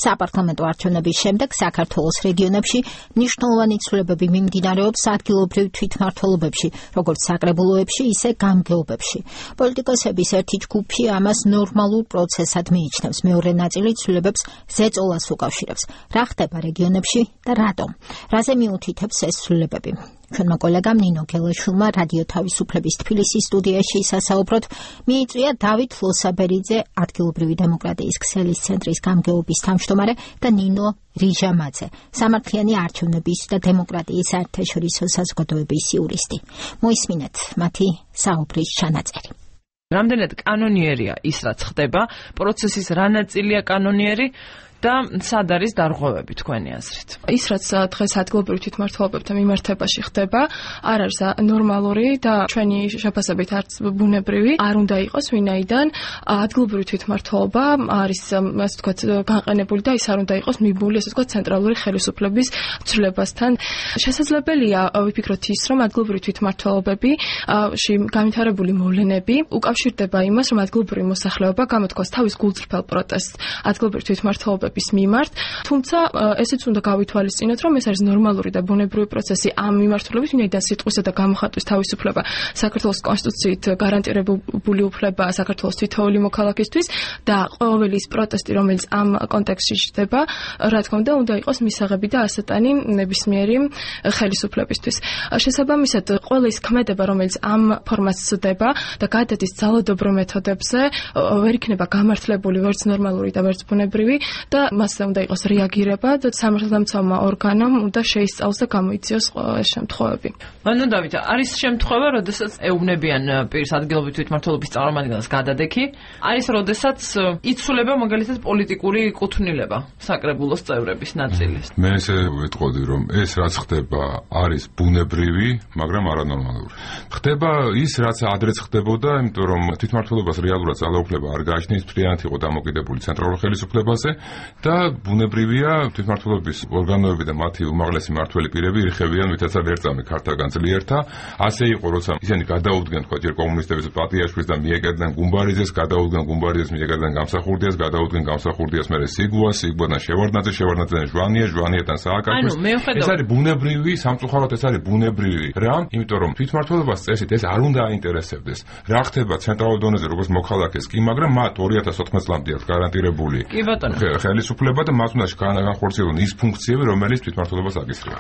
საპარლამენტო არჩევნების შემდეგ საქართველოს რეგიონებში მნიშვნელოვანი ცვლილებები მიმდინარეობს ადგილობრივ თვითმმართველობებში, როგორც საკრებულოებში, ისე გამგეობებში. პოლიტიკოსების ერთი ჯგუფი ამას ნორმალურ პროცესად მიიჩნევს, მეორე ნაწილი ცვლილებებს ზეწოლას უკავშირებს. რა ხდება რეგიონებში და რატომ? რაზე მიუთითებს ეს ცვლილებები? ჩვენმა კოლეგამ ნინო გელაშვილმა რადიო თავისუფლების თბილისის სტუდიაში სასაუბროდ მიიწვია დავით ლოსაბერიძე, ადგილობრივი დემოკრატიის ქსელის ცენტრის გამგეობის თავმჯდომარე და ნინო რიჟამაძე, სამართლიანი არჩევნების და დემოკრატიის საერთაშორისო საზოგადოების იურისტი. მოისმინეთ მათი საუბრის ჩანაწერი. რამდენად კანონიერია ის, რაც ხდება, პროცესის რა ნაწილია კანონიერი და სად არის დარღვევები თქვენი აზრით? ის, რაც დღეს ადგილობრივ თვითმმართველობებთან მიმართებაში ხდება, არ არის ნორმალური და ჩვენი შეფასებით არც ბუნებრივი არ უნდა იყოს, ვინაიდან ადგილობრივი თვითმმართველობა არის, ასე ვთქვათ, განყენებული და ის არ უნდა იყოს მიბმული, ასე ვთქვათ, ცენტრალური ხელისუფლების ცვლილებასთან. შესაძლებელია ვიფიქროთ ის, რომ ადგილობრივი თვითმმართველობებში განვითარებული მოვლენები უკავშირდება იმას, რომ ადგილობრივი მოსახლეობა გამოთქვას თავის გულწრფელ პროტესტს ადგილობრივი თვითმმართველობების მიმართ, თუმცა ესეც უნდა გავითვალისწინოთ, რომ ეს არის ნორმალური და ბუნებრივი პროცესი ამ მიმართულებით, ვინაიდან სიტყვისა და გამოხატვის თავისუფლება საქართველოს კონსტიტუციით გარანტირებული უფლება საქართველოს თითოეული მოქალაქისთვის და ყოველი ის პროტესტი, რომელიც ამ კონტექსტში ჩნდება, რა თქმა უნდა იყოს მისაღები და ასატანი ნებისმიერი ხელისუფლებისთვის. შესაბამისად, ყველა ის ქმედება, რომელიც ამ ფორმატს ცდება და გადადის ძალადობრო მეთოდებზე, ვერ იქნება გამართლებული ვერც ნორმალური და ვერც ბუნებრივი და მასზე უნდა იყოს რეაგირება და სამართალდამცავმა ორგანომ უნდა შეისწავლოს და გამოიციოს ეს შემთხვევები. ანუ დავით, არის შემთხვევა, როდესაც ეუბნებიან პირს ადგილობრივი თვითმმართველობის წარმომადგენელს გადადექი, არის როდესაც იცვლება მაგალითად პოლიტიკური კუთვნილება საკრებულოს წევრების ნაწილის. მე ესე ვეთყოდი, რომ ეს რაც ხდება არის ბუნებრივი, მაგრამ არანორმალური. ხდება ის, რაც ადრეც ხდებოდა, იმიტომ რომ თვითმმართველობას რეალურად ძალაუფლება არ გააჩნია, ფრიანად იყო დამოკიდებული ცენტრალურ ხელისუფლებაზე და ბუნებრივია თვითმმართველობის ორგანოები და მათი უმაღლესი მმართველი პირები ირხევიან ვითაცად ერთამი ქართაგან ძლიერთა. ასე იყო, როცა ისინი გადაუდგნენ თქვა ჯერ კომუნისტების პატიაშვილს და მიეკედნენ გუმბარიძეს, გადაუდგნენ გუმბარიძეს, მიეკედნენ გამსახურდიას, გადაუდგნენ გამსახურდიას მერე სიგუას, სიგუასთან შევარდნაძე, შევარდნაძიდან ჟვანიასთან სააკაშვილს. ეს არის ბუნებრივი, სამწუხაროდ ეს არის ბუნებრივი რამ, იმიტომ რომ თვითმმართველობას წესით ეს არ უნდა აინტერესებდეს. რა ხდება ცენტრალურ დონეზე როგორც მოქალაქეს კი, მაგრამ მათ 2014 წლამდე აქვს გარანტირებული ხელისუფლება და მათ უნდა განახორციელონ ის ფუნქციები, რომელიც თვითმმართველობას აკისრია.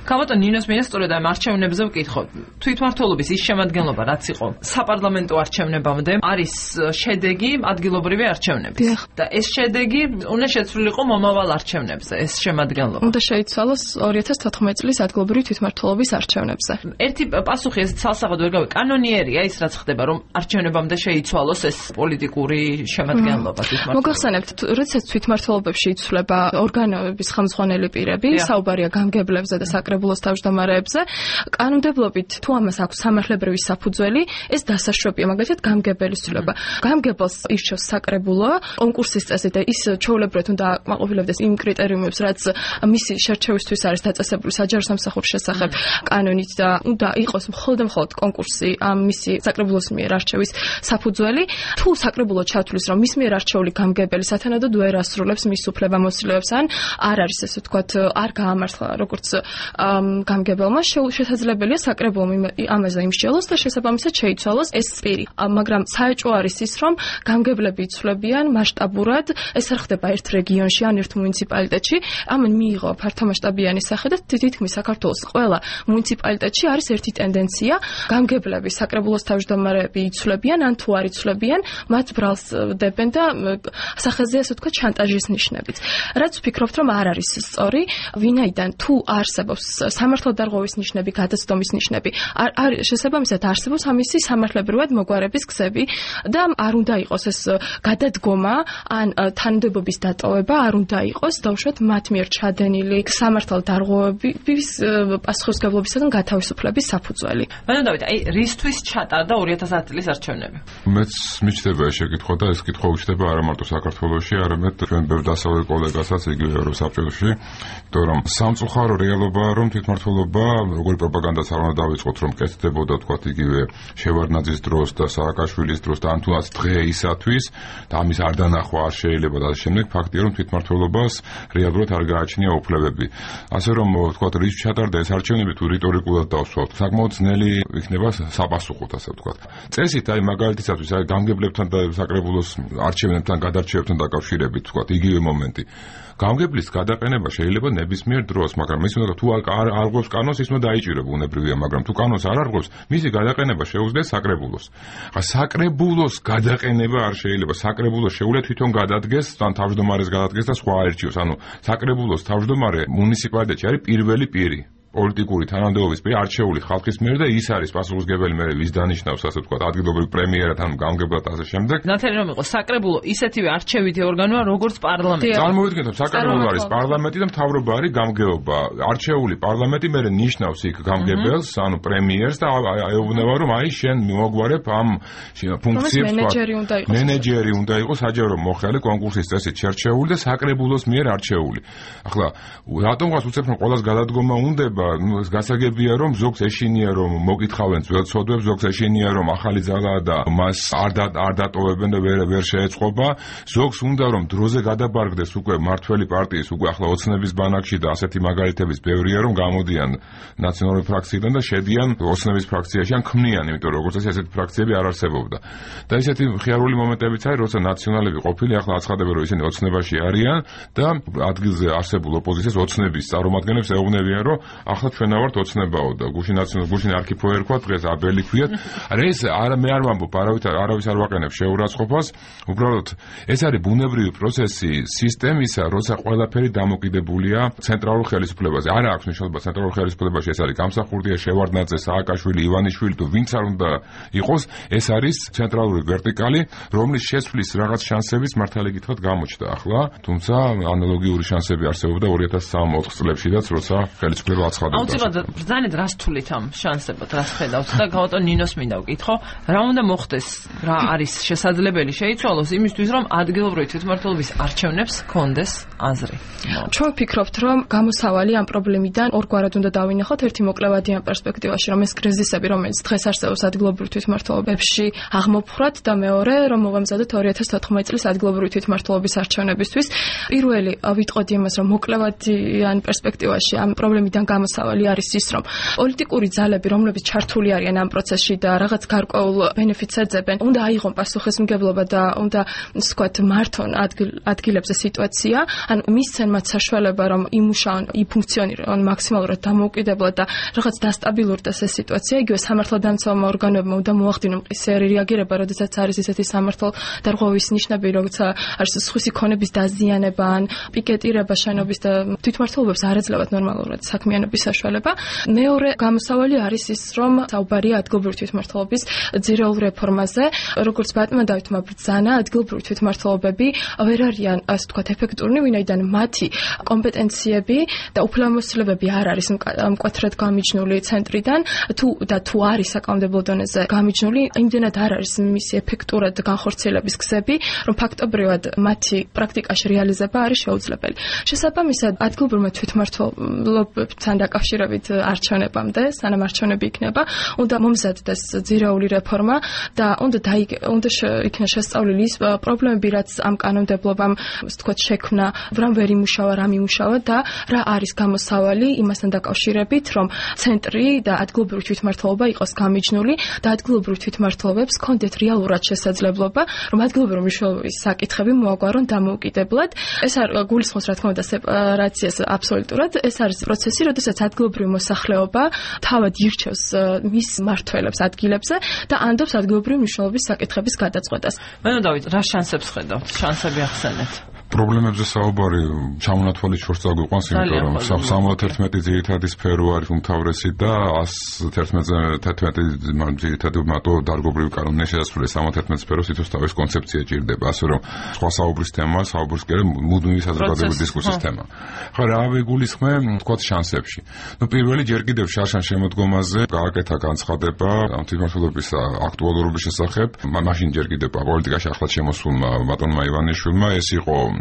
ქაბატონ ნინოს მინდა სწორედ ამ არჩევნებზე ვკითხო. თვითმმართველობის ის შემადგენლობა, რაც იყო საპარლამენტო არჩევნებამდე, არის შედეგი ადგილობრივი არჩევნების. და ეს შედეგი უნდა შეცვლილიყო მომავალ არჩევნებზე, ეს შემადგენლობა. უნდა შეიცვალოს 2014 წლის ადგილობრივი თვითმმართველობის არჩევნებზე. ერთი პასუხი ეს ცალსაღად ვერ გავი, კანონიერია ის, რაც ხდება, რომ არჩევნებამდე შეიცვალოს ეს პოლიტიკური შემადგენლობა თვითმმართველობა. მოგახსენებთ, როდესაც თვითმმართველობებში იცვლება ორგანოების ხელმძღვანელი პირები, საუბარია გამგებლებზე და საკრებულოს თავმჯდომარეებზე, კანონმდებლობით თუ ამას აქვს სამართლებრივი საფუძველი, ეს დასაშვებია, მაგალითად გამგებელის ცვლილება. გამგებელს ირჩევს საკრებულო კონკურსის წესით და ის ჩვეულებრივად უნდა აკმაყოფილებდეს იმ კრიტერიუმებს, რაც მისი შერჩევისთვის არის დაწესებული საჯარო სამსახურის შესახებ კანონით და უნდა იყოს მხოლოდ კონკურსი მისი საკრებულოს მიერ არჩევის საფუძველი. თუ საკრებულო ჩათვლის, რომ მის მიერ არჩეული გამგებელი სათანადოდ ვერ ასრულებს მის უფლებამოსილებს ან არ არის, ესე ვთქვათ, არ გაამართლა როგორც გამგებელმა, შესაძლებელია საკრებულომ ამაზე იმსჯელოს და შესაბამისად შეიცვალოს ეს პირი. მაგრამ საეჭვო არის ის, რომ გამგებლები იცვლებიან მასშტაბურად, ეს არ ხდება ერთ რეგიონში ან ერთ მუნიციპალიტეტში, ამან მიიღო ფართომასშტაბიანი სახე და თითქმის საქართველოს ყველა მუნიციპალიტეტში არის ერთი ტენდენცია, გამგებლები საკრებულოს თავმჯდომარეები იცვლებიან ან თუ არ იცვლებიან, მათ ბრალს დებენ და სახეზე, ასე ვთქვათ, შანტაჟის ნიშნებით. რაც ვფიქრობთ, რომ არ არის სწორი, ვინაიდან თუ არსებობს სამართალდარღვევის ნიშნები, გადაცდომის ნიშნები, შესაბამისად არსებობს ამისი სამართლებრივად მოგვარების გზები და არ უნდა იყოს ეს გადადგომა ან თანამდებობის დატოვება, არ უნდა იყოს დაუშვათ მათ მიერ ჩადენილი სამართალდარღვევების პასუხისმგებლობისგან გათავისუფლების საფუძველი. ანუ დავით, აი რისთვის ჩატარდა 2010 წლის არჩევნები? მეც მიჩნდება ეს შეკითხვა და ეს კითხვა უჩნდება არა მარტო საქართველოში, არამედ ჩვენ ბევრ დასავლეთ კოლეგასაც იგივე ევროსაბჭოში, იმიტომ რომ სამწუხარო რეალობაა, რომ თვითმმართველობა როგორი პროპაგანდაც არ უნდა დავიწყოთ, რომ კეთდებოდა თქვათ იგივე შევარდნაძის დროს და სააკაშვილის დროს და ან თუნდაც დღეისათვის და ამის არ დანახვა არ შეიძლება და შემდეგ ფაქტია, რომ თვითმმართველობას რეალურად არ გააჩნია უფლებები. ასე რომ თქვათ რის ჩატარდა ეს არჩევნები თუ რიტორიკულად დავსვათ, საკმაოდ ძნელი იქნება საპასუხოდ, ასე ვთქვათ. წესით აი მაგალითისათვის აი გამგებლებთან და საკრებულოს არჩევნებთან გადარჩევებთან დაკავშირებით ვთქვათ იგივე მომენტი. გამგებლის გადაყენება შეიძლება ნებისმიერ დროს, მაგრამ ის უნდა თუ არ არღვევს კანონს, ის უნდა დაიჭირო ბუნებრივია, მაგრამ თუ კანონს არ არღვევს, მისი გადაყენება შეუძლია საკრებულოს. საკრებულოს გადაყენება არ შეიძლება. საკრებულოს შეუძლია თვითონ გადადგეს, თან თავმჯდომარეს გადადგეს და სხვა აერჩიოს. ანუ საკრებულოს თავმჯდომარე მუნიციპალიტეტში არის პირველი პირი. პოლიტიკური თანამდებობის არჩეული ხალხის მიერ და ის არის პასუხისმგებელი მე ვის დანიშნავს ასე ვთქვათ ადგილობრივ პრემიერად ან გამგებლად ასე შემდეგ. ნათელი რომ იყო საკრებულო ისეთივე არჩევითი ორგანოა როგორც პარლამენტი. წარმოვიდგინეთ რომ საკრებულო არის პარლამენტი და მთავრობა არის გამგეობა. არჩეული პარლამენტი მე ნიშნავს იქ გამგებელს, ანუ პრემიერს და ეუბნება რომ აი შენ მოგვარებ ამ ფუნქციებს მენეჯერი უნდა იყოს საჯარო მოხელე კონკურსის წესით შერჩეული და საკრებულოს მიერ არჩეული. ახლა რატომღაც უცებ რომ ყოველას გადადგომა უნდა გასაგებია რომ ზოგს ეშინია რომ მოგითხავენ ძველ ცოდვებს, ზოგს ეშინია რომ ახალი ძალაა და მას არ დატოვებენ და ვერ შეეწყობა, ზოგს უნდა რომ დროზე გადაბარგდეს უკვე მართველი პარტიის უკვე ახლა ოცნების ბანაკში და ასეთი მაგალითების ბევრია რომ გამოდიან ნაციონალური ფრაქციიდან და შედიან ოცნების ფრაქციაში ან ქმნიან, იმიტომ რომ როგორც ესეთი ფრაქციები არ არსებობდა. და ესეთი ხიარული მომენტებიც არის, როცა ნაციონალები ყოფილი ახლა აცხადებენ რომ ისინი ოცნებაში არიან და ადგილზე არსებულ ოპოზიციას ოცნების წარმომადგენლებს ეუბნებიან რომ ახლა ჩვენ ვართ ოცნებაო და გუშინ არქიპო ერქვა დღეს აბელი ქვიათ. ეს მე არ ვამბობ არავის არ ვაყენებ შეურაცხყოფას, უბრალოდ ეს არის ბუნებრივი პროცესი სისტემისა, როცა ყველაფერი დამოკიდებულია ცენტრალურ ხელისუფლებაზე. არ აქვს მნიშვნელობა ცენტრალურ ხელისუფლებაში ეს არის გამსახურდია, შევარდნაძე, სააკაშვილი, ივანიშვილი თუ ვინც არ უნდა იყოს, ეს არის ცენტრალური ვერტიკალი, რომლის შესვლის რაღაც შანსებიც მართალი გითხრათ გამოჩნდა ახლა, თუმცა ანალოგიური შანსები არსებობდა 2003-4 წლებშიდაც, როცა ხელისუფლება აცხადებდა. აუცილებლად ბრძანეთ რას თulit ამ შანსებად, რას ხედავთ და გავატო ნინოს მინდა ვკითხო, რა უნდა მოხდეს, რა არის შესაძლებელი შეიცვალოს იმისთვის, რომ ადგილობრივი თვითმმართველობის არჩევნებს კონდეს აზრი. ჩვენ ვფიქრობთ, რომ გამოსავალი ამ პრობლემიდან ორგვარად უნდა დავინახოთ, ერთი მოკლევადი ამ პერსპექტივაში, რომ ეს კრიზისები, რომელიც დღეს არსებობს ადგილობრივ თვითმმართველობებში, აღმოფხვრათ და მეორე, რომ მოვამზადოთ 2014 წლის ადგილობრივი თვითმმართველობის არჩევნებისთვის. პირველი ვიტყოდი იმას, რომ მოკლევადიან პერსპექტივაში ამ პრობლემიდან გამოსავალი არის ის, რომ პოლიტიკური ძალები, რომლებიც ჩართული არიან ამ პროცესში და რაღაც გარკვეულ ბენეფიტს ეძებენ, უნდა აიღონ პასუხისმგებლობა და უნდა ვთქვათ მართონ ადგილებზე სიტუაცია, ან მისცენ მათ საშუალება, რომ იმუშაონ, იფუნქციონირონ მაქსიმალურად დამოუკიდებლად და რაღაც დასტაბილურდეს ეს სიტუაცია. იგივე სამართალდამცავმა ორგანოებმა უნდა მოახდინონ მყისიერი რეაგირება, როდესაც არის ესეთი სამართალდარღვევის ნიშნები, როგორც არის სხვისი ქონების დაზიანება ან პიკეტირება შენობის და თვითმმართველობებს არ ეძლევათ ნორმალურად საქმიანობის საშუალება. მეორე გამოსავალი არის ის, რომ საუბარია ადგილობრივი თვითმმართველობის ძირეულ რეფორმაზე, როგორც ბატონმა დავითმა ბრძანა, ადგილობრივი თვითმმართველობები ვერ არიან, ასე ვთქვათ, ეფექტურნი, ვინაიდან მათი კომპეტენციები და უფლებამოსილებები არ არის მკვეთრად გამიჯნული ცენტრიდან, თუ არის საკანონმდებლო დონეზე გამიჯნული, იმდენად არ არის მისი ეფექტურად განხორციელების გზები, რომ ფაქტობრივად მათი პრაქტიკაში რეალიზება არის შეუძლებელი. შესაბამისად, ადგილობრივმა თვითმმართველობებთან დაკავშირებით არჩევნებამდე, სანამ არჩევნები იქნება, უნდა მომზადდეს ძირეული რეფორმა და უნდა იქნა შესწავლილი ის პრობლემები, რაც ამ კანონმდებლობამ, ვთქვათ, შექმნა, რამ ვერ იმუშავა, რამ იმუშავა და რა არის გამოსავალი იმასთან დაკავშირებით, რომ ცენტრი და ადგილობრივი თვითმმართველობა იყოს გამიჯნული და ადგილობრივ თვითმმართველობებს ჰქონდეთ რეალურად შესაძლებლობა, რომ ადგილობრივი მნიშვნელობის საკითხები მოაგვარონ დამოუკიდებლად. ეს არ გულისხმობს, რა თქმა უნდა, სეპარაციას აბსოლუტურად. ეს არის პროცესი, როდესაც ადგილობრივი მოსახლეობა თავად ირჩევს მის მმართველებს ადგილებზე და ანდობს ადგილობრივი მნიშვნელობის საკითხების გადაწყვეტას. მე დავით, რა შანსებს ხედავთ? შანსები ახსენეთ. პრობლემებზე საუბარი ჩამონათვალის შორს წაგვიყვანს, იმიტომ რომ 71 ძირითადი სფერო არის უმთავრესი და 111 ძირითადი მარტო დარგობრივი კანონია შესაძლებელი 71 სფეროს თითოს თავის კონცეფცია ჭირდება, ასე რომ სხვა საუბრის თემა, საუბრის კი მუდმივი საზოგადოებრივი დისკუსიის თემა. ხო, რა ვიგულისხმე, თქვათ შანსებში. პირველი ჯერ კიდევ შარშან შემოდგომაზე გააკეთა განცხადება ამ თვითმმართველობის აქტუალურობის შესახებ. მაშინ ჯერ კიდევ პოლიტიკაში ახლად შემოსულმა ბატონმა ივანიშვილმა ეს იყო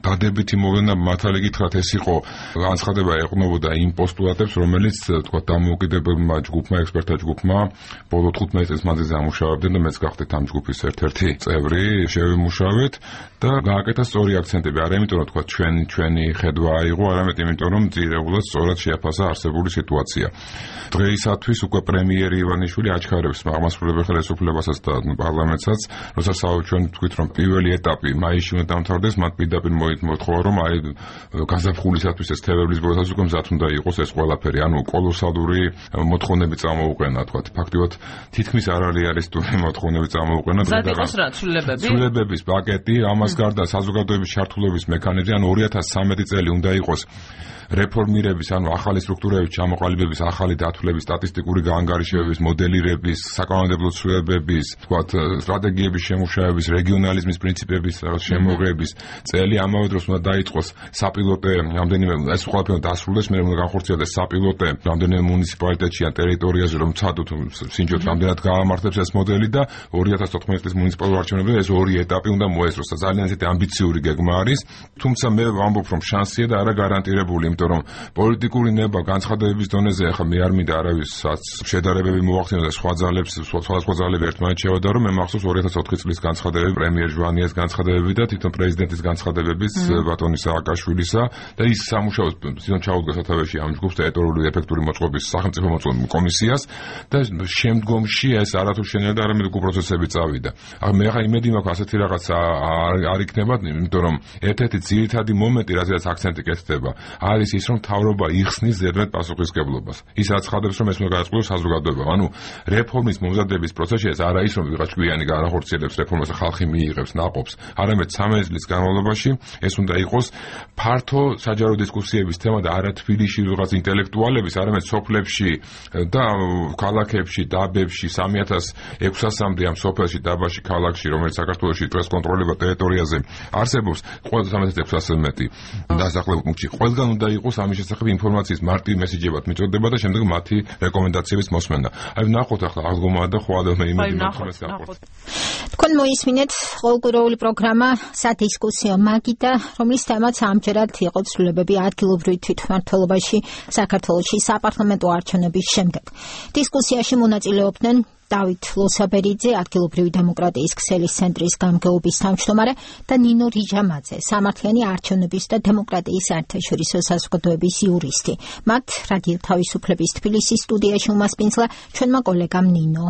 დადებითი მოვლენა მართალი გითხრათ ეს იყო განცხადება ეყნობოდა იმ პოსტულატებს, რომელიც თქვა დამოუკიდებელმა ჯგუფმა, ექსპერტთა ჯგუფმა ბოლო 15 წელს მანძილზე ამუშავებდნენ და მეც გახდით ამ ჯგუფის ერთ-ერთი წევრი, შევიმუშავეთ და გააკეთა სწორი აქცენტები, არა იმიტომ რომ თქვა ჩვენი ხედვა აიღო, არამედ იმიტომ რომ ძირეულად სწორად შეაფასა არსებული სიტუაცია. დღეისათვის უკვე პრემიერი ივანიშვილი აჩქარებს აღმასრულებელ ხელისუფლებასაც და პარლამენტსაც, როდესაც ჩვენ ვთქვით რომ პირველი ეტაპი მაისში უნდა დამთავრდეს, მათ პირდაპირ მოთხოვა რომ აი გაზაფხულისათვის ეს თებერვლის ბოლოსაც უკვე მზად უნდა იყოს ეს ყველაფერი, ანუ კოლოსალური მოთხოვნები წამოუყენა, თქვა ფაქტიურად თითქმის არ არის თუ მოთხოვნები წამოუყენა და იყოს რა ცვლილებების პაკეტი, ამას გარდა საზოგადოების ჩართულობის მექანიზმი, ანუ 2013 წელი უნდა იყოს რეფორმირების, ანუ ახალი სტრუქტურების ჩამოყალიბების, ახალი დათვლების, სტატისტიკური გაანგარიშებების, მოდელირების, საკანონმდებლო ცვლილებების, თქვათ, სტრატეგიების შემუშავების, რეგიონალიზმის პრინციპების შემოღების წელი, ამავე დროს უნდა დაიწყოს საპილოტე, რამდენიმე ეს ყველაფერი დასრულდეს, მე უნდა განხორციელდეს საპილოტე, რამდენიმე მუნიციპალიტეტში ან ტერიტორიაზე რომ ცადოთ სინჯოთ რამდენად გაამართლებს ეს მოდელი და 2014 წლის მუნიციპალურ არჩევნებზე ეს ორი ეტაპი უნდა მოესწროს. ძალიან ისეთი ამბიციური გეგმა არის, თუმცა მე ვამბობ რომ შანსია და არა გარანტირებული, იმიტომ რომ პოლიტიკური ნება განცხადებების დონეზე ახლა მე არ მინდა არავისაც შედარებები მოვახდინო და სხვადასხვა ძალები ერთმანეთს შევადარო, მე მახსოვს 2004 წლის განცხადებები, პრემიერ ჟვანიას განცხადებები და თვითონ პრეზიდენტის განცხადებებიც ბატონი სააკაშვილისა და ის სამუშაოს თვითონ ჩაუდგა სათავეში ამ ჯგუფს და ეტორული ეფექტური მოწყობის სახელმწიფო მოწყობის კომისიას და შემდგომში ეს არათუ შენელდა, არამედ უკვე პროცესები წავიდა. მე ახლა იმედი მაქვს ასეთი რაღაც არ იქნება, იმიტომ რომ ერთ-ერთი ძირითადი მომენტი, რაზეც აქცენტი კეთდება, არის ის, რომ მთავრობა იხსნის ზედმეტ პასუხისმგებლობას. ის აცხადებს, რომ ეს უნდა გააწყდეს საზოგადოებამ. ანუ რეფორმის მომზადების პროცესში ეს არა ის, რომ ვიღაც ჭკვიანი განახორციელებს რეფორმას და ხალხი მიიღებს ნაყოფს, არამედ 13 წლის განმავლობაში ეს უნდა იყოს ფართო საჯარო დისკუსიების თემა და არა თბილისში ვიღაც ინტელექტუალების, არამედ სოფლებში და ქალაქებში, დაბებში 3600-მდე ამ სოფელში, დაბაში, ქალაქში, რომელიც საქართველოში დღეს კონტროლება ტერიტორიაზე არსებობს, ყველა 3600-ზე მეტი დასახლებულ პუნქტში. ყველგან უნდა იყოს ამის შესახებ ინფორმაციის მარტივი მესიჯებად მიწოდება და შემდეგ მათი რეკომენდაციების მოსმენა. აი ვნახოთ ახლა აღდგომა და ხო ადამე იმედი მაქვს გახოთ. თქვენ მოისმინეთ ყოველკვირეული პროგრამა სადისკუსიო მაგიდა, რომლის თემაც ამჯერად იყო ცვლილებები ადგილობრივ თვითმმართველობაში საქართველოში საპარლამენტო არჩევნების შემდეგ. დისკუსიაში მონაწილეობდნენ დავით ლოსაბერიძე, ადგილობრივი დემოკრატიის ქსელის ცენტრის გამგეობის თავმჯდომარე და ნინო რიჟამაძე, სამართლიანი არჩევნების და დემოკრატიის საერთაშორისო საზოგადოების იურისტი. მათ რადიო თავისუფლების თბილისის სტუდიაში უმასპინძლა ჩვენმა კოლეგამ ნინო